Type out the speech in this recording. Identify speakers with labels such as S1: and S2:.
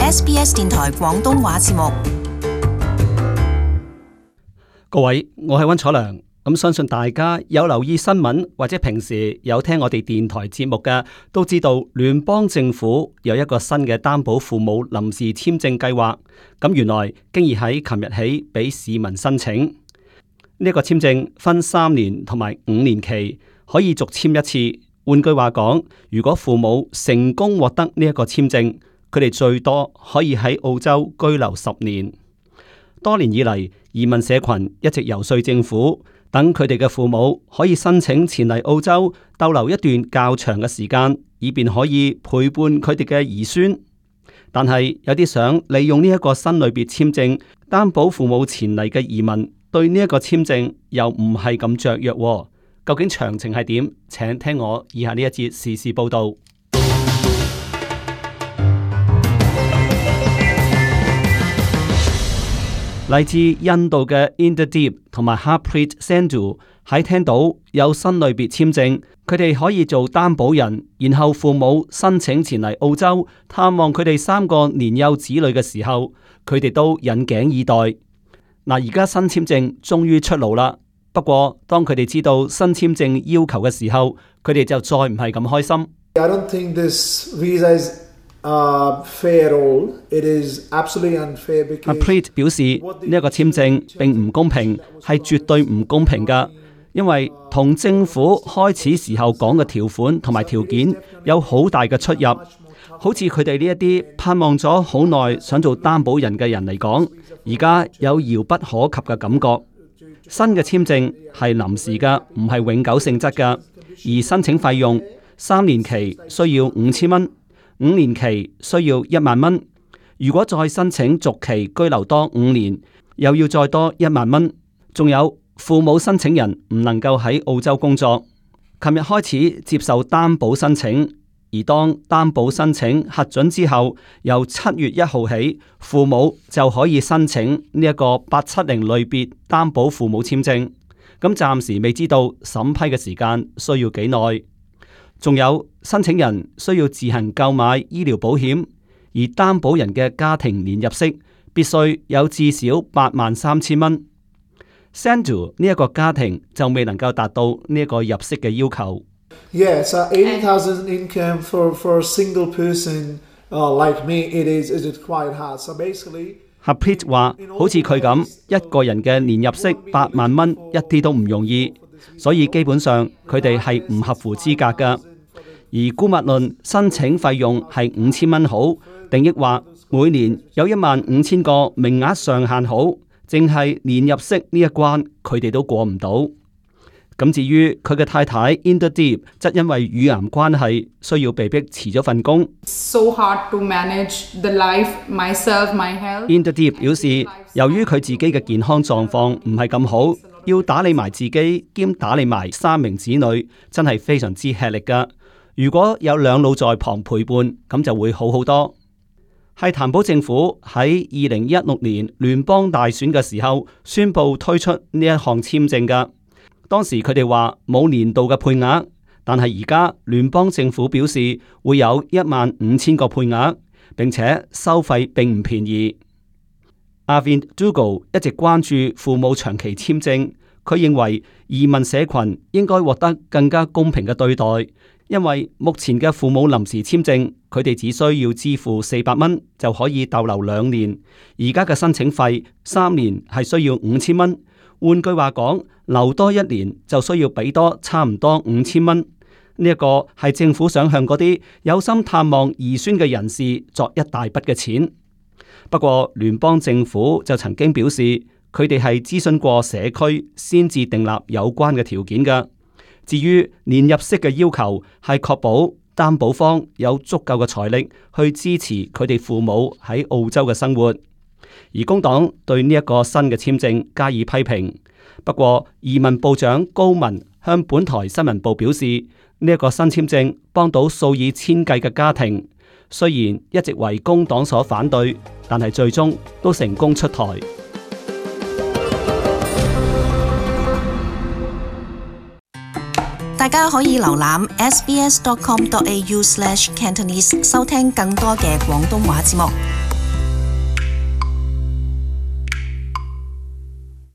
S1: SBS 電台廣東話節目。
S2: 各位，我係溫楚良。相信大家有留意新聞或者平時有聽我哋電台節目嘅，都知道聯邦政府有一個新嘅擔保父母臨時簽證計劃。原來經已喺琴日起俾市民申請。呢個簽證分3年同埋5年期，可以續簽一次。換句話講，如果父母成功獲得呢一個簽證，佢哋最多可以喺澳洲居留10年。多年以嚟，移民社群一直游說政府，等佢哋嘅父母可以申請前嚟澳洲逗留一段較長嘅時間，以便可以陪伴佢哋嘅兒孫。但係有啲想利用呢一個新類別簽證擔保父母前嚟嘅移民，對呢一個簽證又唔係咁雀躍。究竟詳情係點？請聽我以下呢一節時事報道。嚟自印度嘅 Inderdeep 同埋 Harpreet Sandhu 喺聽到有新類別簽證，佢哋可以做擔保人，然後父母申請前嚟澳洲探望佢哋3個年幼子女嘅時候，佢哋都引頸以待。而家新簽證終於出爐啦。不過當佢哋知道新簽證要求嘅時候，佢哋就再唔係咁開心。
S3: I don't think this visa is fair at all. It is absolutely unfair because
S2: Harpreet 表示呢一個簽證並唔公平，係絕對唔公平噶，因為同政府開始時候講嘅條款同埋條件有好大嘅出入。好似佢哋呢一啲盼望咗好耐想做擔保人嘅人嚟講，而家有遙不可及嘅感覺。新嘅簽證係臨時嘅，唔係永久性質嘅，而申請費用3年期需要5000蚊，5年期需要1萬蚊。如果再申請續期居留多5年，又要再多1萬蚊。仲有父母申請人唔能夠喺澳洲工作。琴日開始接受擔保申請。而當擔保申請核准之後，由7月1號起，父母就可以申請呢一個870類別擔保父母簽證。暫時未知道審批嘅時間需要幾耐。仲有申請人需要自行購買醫療保險，而擔保人嘅家庭年入息必須有至少83000蚊。Sandhu 呢一個家庭就未能夠達到呢一個入息嘅要求。
S3: Yeah, so 80,000 income for a single person like me, it is quite hard. So basically,
S2: Harpreet 話，好似佢咁一個人嘅年入息8萬蚊，一啲都唔容易，所以基本上佢哋係唔合乎資格噶。而姑勿論申請費用係5000蚊好，定抑或每年有15000個名額上限好，淨係年入息呢一關，佢哋都過唔到。至於佢嘅太太 Inderdeep 則因為乳癌關係，需要被迫辭咗份工。
S4: So hard to manage the life, myself, my health.
S2: Inderdeep 表示，由於佢自己嘅健康狀況唔係咁好，要打理埋自己兼打理埋3名子女，真係非常之吃力噶。如果有2老在旁陪伴，咁就會好好多。係譚寶政府喺2016年聯邦大選嘅時候宣布推出呢一項簽證噶。當時佢哋話冇年度嘅配額，但係而家聯邦政府表示會有15000個配額，並且收費並唔便宜。Arvind Duggal 一直關注父母長期簽證，佢認為移民社群應該獲得更加公平嘅對待，因為目前嘅父母臨時簽證，佢哋只需要支付400蚊就可以逗留2年，而家嘅申請費3年係需要5000蚊。換句話講，留多1年就需要俾多差唔多5000蚊。呢一個係政府想向嗰啲有心探望兒孫嘅人士作一大筆嘅錢。不過聯邦政府就曾經表示，佢哋係諮詢過社區先至訂立有關嘅條件㗎。至於年入息嘅要求，係確保擔保方有足夠嘅財力去支持佢哋父母喺澳洲嘅生活。而工黨對呢一個新嘅簽證加以批評。不過移民部長高文向本台新聞部表示，呢一個新簽證幫到數以千計嘅家庭，雖然一直為工黨所反對，但係最終都成功出台。
S1: 大家可以瀏覽 sbs.com.au/Cantonese 收聽更多嘅廣東話節目。